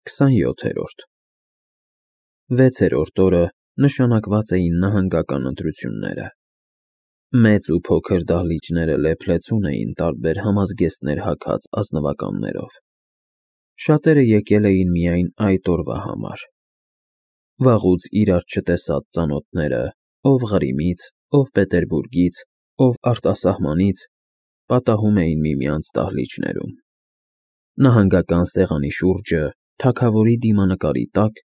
27-րդ 6-րդ օրը նշանակված էին նահանգական ընտրությունները։ Մեծ ու փոքր դահլիճները լեփլեցուն էին տարբեր համազգեստներ հագած ազնվականներով։ Շատերը եկել էին միայն այդ օրվա համար։ Վաղուց իրար չտեսած ծանոթները, ով Ղրիմից, ով Պետերբուրգից, ով արտասահմանից, պատահում էին միմյանց դահլիճներում։ Նահանգական սեղանի շուրջը, թագավորի դիմանկարի տակ,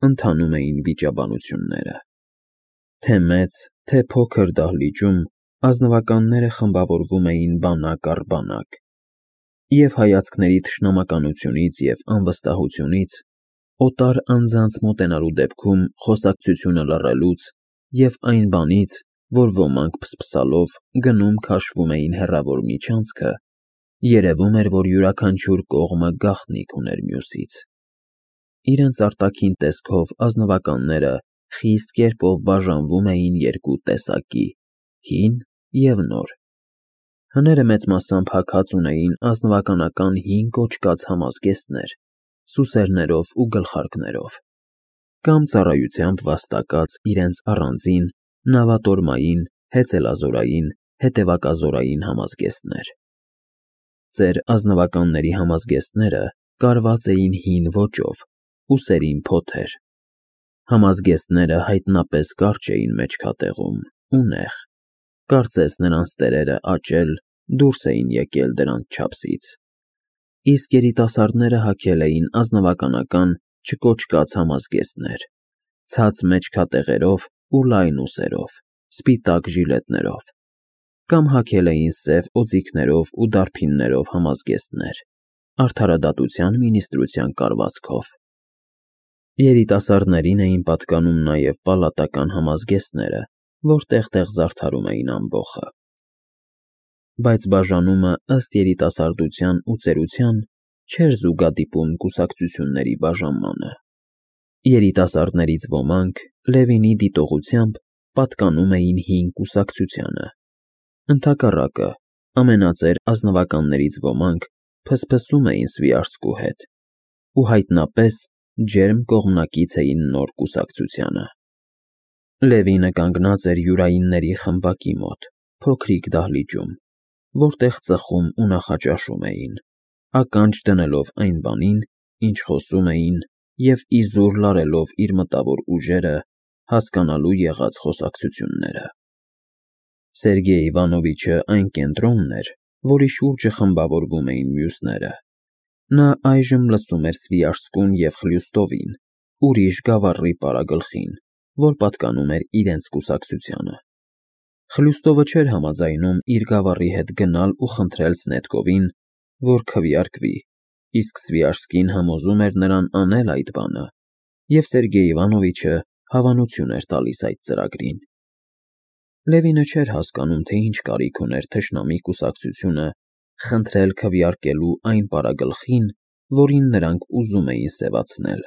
ընթանում էին վիճաբանությունները։ Թե մեծ, թե փոքր դահլիճում ազնվականները խմբավորվում էին բանակ առ բանակ, և հայացքների թշնամականությունից և անվստահությունից, օտար անձանց մոտենալու դեպքում խոսակցությունը լռելուց և այն բանից, որ ոմանք փսփսալով գնում քաշվում էին հեռավոր միջանցքը, երևում էր, որ յուրաքանչյուր կողմը գաղտնիք ուներ մյուսից։ Իրենց արտաքին տեսքով ազնվականները խիստ կերպով բաժանվում էին երկու տեսակի՝ հին և նոր։ Հները մեծ մասամբ հագած ունեին ազնվականական հին կոճկած համազգեստներ, սուսերներով ու գլխարկներով, կամ ծառայությամբ վաստակած իրենց առանձին, նավատորմային, հեծելազորային, հետևակազորային համազգեստներ։ Ծեր ազնվականների համազգեստները կարված էին հին ոճով, ուսերին փոթեր։ Համազգեստները հայտնապես կարճ էին մեջքատեղում ու նեղ, կարծես նրանց տերերը աճել, դուրս էին եկել դրանց չափսից, իսկ երիտասարդները հագել էին ազնվականական չկոճկած համազգեստներ, ցած մեջքատեղերով ու լայն ուսերով, սպիտակ ժիլետներով, կամ հագել էին սև օձիքներով ու դարբիններով համազգեստներ, արդարադատության մինիստրության կալվածքով։ Երիտասարդներին էին պատկանում նաև պալատական համազգեստները, որ տեղ-տեղ զարդարում էին ամբոխը։ Բայց բաժանումը ըստ երիտասարդության ու ծերության չէր զուգադիպում կուսակցությունների բաժանմանը։ Երիտասարդներից ոմանք Լևինի դիտողությամբ պատկանում էին հին կուսակցությանը։ Ընդհակառակը, ամենածեր ազնվականներից ոմանք փսփսում էին Սվիարկսկու հետ ու հայտնապես ջերմ կողմնակից էին նոր կուսակցությանը։ Լևինը կանգնած էր յուրայինների խմբակի մոտ, փոքրիկ դահլիճում, որտեղ ծխում ու նախաճաշում էին, ականջ դնելով այն բանին, ինչ խոսում էին, և իզուր լարելով իր մտավոր ուժերը հասկանալու եղած խոսակցությունները։ Սերգեյ Իվանովիչը այն կենտրոնն էր, որի շուրջը խմբավորվում էին մյուսները։ Նա այժմ լսում էր Սվիարկսկուն և Խլյուստովին, ուրիշ գավառի պարագլխին, որ պատկանում էր իրենց կուսակցությանը։ Խլյուստովը չէր համաձայնում իր գավառի հետ գնալ ու խնդրել Սնետկովին, որ քվեարկվի, իսկ Սվիարկսկին համոզում էր նրան անել այդ բանը, և Սերգեյ Իվանովիչը հավանություն էր տալիս այդ ծրագրին։ Լևինը չէր հասկանում, թե ինչ կարիք ուներ թշնամի կուսակցությունը խնդրել քվեարկելու այն պարագլխին, որին նրանք ուզում էին սևացնել։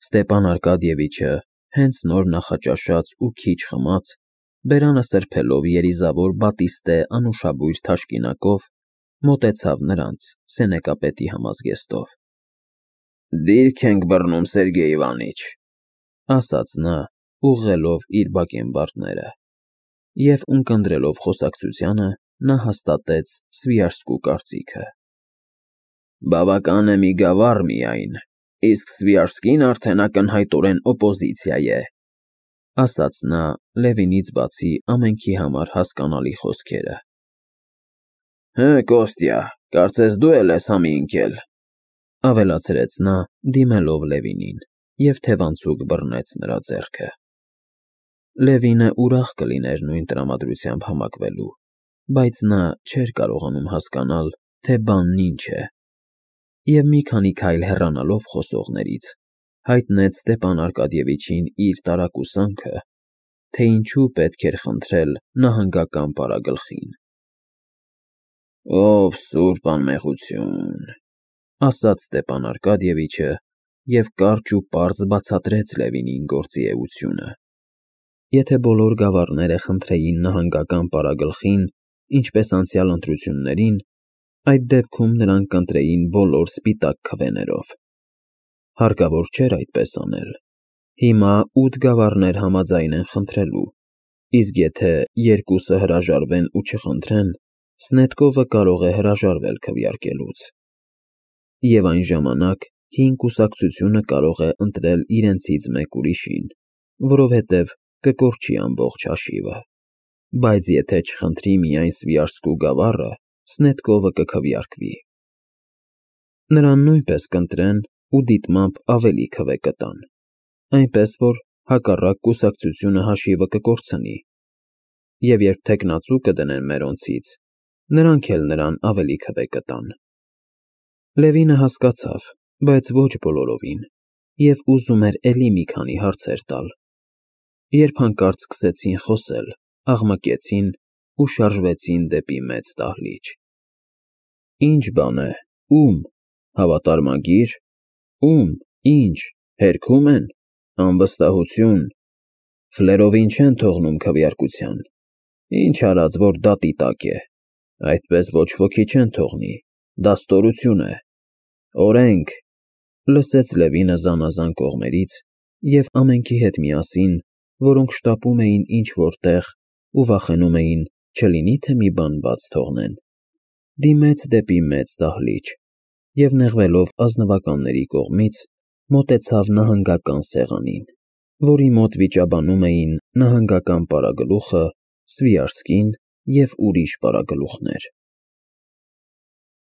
Ստեպան Արկադիևիչը, հենց նոր նախաճաշած ու քիչ խմած, բերանը սրբելով երիզավոր բատիստե անուշաբույր թաշկինակով, մոտեցավ նրանց սենեկապետի համազգեստով։ «Դիրք ենք բռնում, Սերգեյ Իվանիչ», ասաց նա, ուղղելով իր բակենբարդները, և ունկնդրելով խոսակցությանը, նա հաստատեց Սվիարկսկու կարծիքը։ «Բավական է մի գավառ միայն, իսկ Սվիարկսկին արդեն ակնհայտորեն օպոզիցիա է», ասաց նա Լևինից բացի ամենքի համար հասկանալի խոսքերը։ «Հը, Կոստյա, կարծես դու էլ ես համի ընկել», ավելացրեց նա, դիմելով Լևինին, և թևանցուկ բռնեց նրա ձեռքը։ Լևինը ուրախ կլիներ նույն տրամադրությամբ համակվելու, բայց նա չէր կարողանում հասկանալ, թե բանն ինչ է, և մի քանի քայլ հեռանալով խոսողներից, հայտնեց Ստեպան Արկադիևիչին իր տարակուսանքը, թե ինչու պետք էր խնդրել նահանգական պարագլխին։ «Ով սուրբ անմեղություն», ասաց Ստեպան Արկադիևիչը և կարճ ու պարզ բացատրեց Լևինին գործի էությունը։ Եթե բոլոր գավառները խնդրեին նահանգական պարագլխին, ինչպես անցյալ ընտրություններին, այդ դեպքում նրանք կընտրեին բոլոր սպիտակ քվեներով։ Հարկավոր չէր այդպես անել։ Հիմա 8 գավառներ համաձայն են խնդրելու, իսկ եթե երկուսը հրաժարվեն ու չխնդրեն, Սնետկովը կարող է հրաժարվել քվեարկելուց։ Եվ այն ժամանակ հին կուսակցությունը կարող է ընտրել իրենցից մեկ ուրիշին, որովհետև կկորչի ամբողջ հաշիվը։ Բայց եթե չխնդրի միայն Սվիարսկու գավառը, Սնետկովը կքվեարկվի։ Նրան նույնպես կընտրեն ու դիտմամբ ավելի քվե կտան, այնպես որ հակառակ կուսակցությունը հաշիվը կկորցնի, և երբ թեկնածու կդնեն մերոնցից, նրանք էլ նրան ավելի քվե կտան։ Լևինը հասկացավ, բայց ոչ բոլորովին, և ուզում էր էլի մի քանի հարցեր տալ, երբ հանկարծ սկսեցին խոսել, աղմկեցին ու շարժվեցին դեպի մեծ դահլիճ։ Ինչ բան է, ո՞ւմ, հավատարմագի՞ր, ո՞ւմ, ինչ, հերքում են, անվստահություն, ֆլերովին չեն թողնում քվեարկության, ինչ արած, որ դատի տակ է, այդպես ոչ ոքի չեն թողնի, դա ստորություն է, օրենք, լսեց Լևինը զանազան կողմերից և ամենքի հետ միասին, որոնք շտապում էին ինչ֊որ տեղ ու վախենում էին, չլինի թե մի բան բաց թողնեն, դիմեց դեպի մեծ դահլիճ և նեղվելով ազնվականների կողմից, մոտեցավ նահանգական սեղանին, որի մոտ վիճաբանում էին նահանգական պարագլուխը, Սվիարսկին և ուրիշ պարագլուխներ։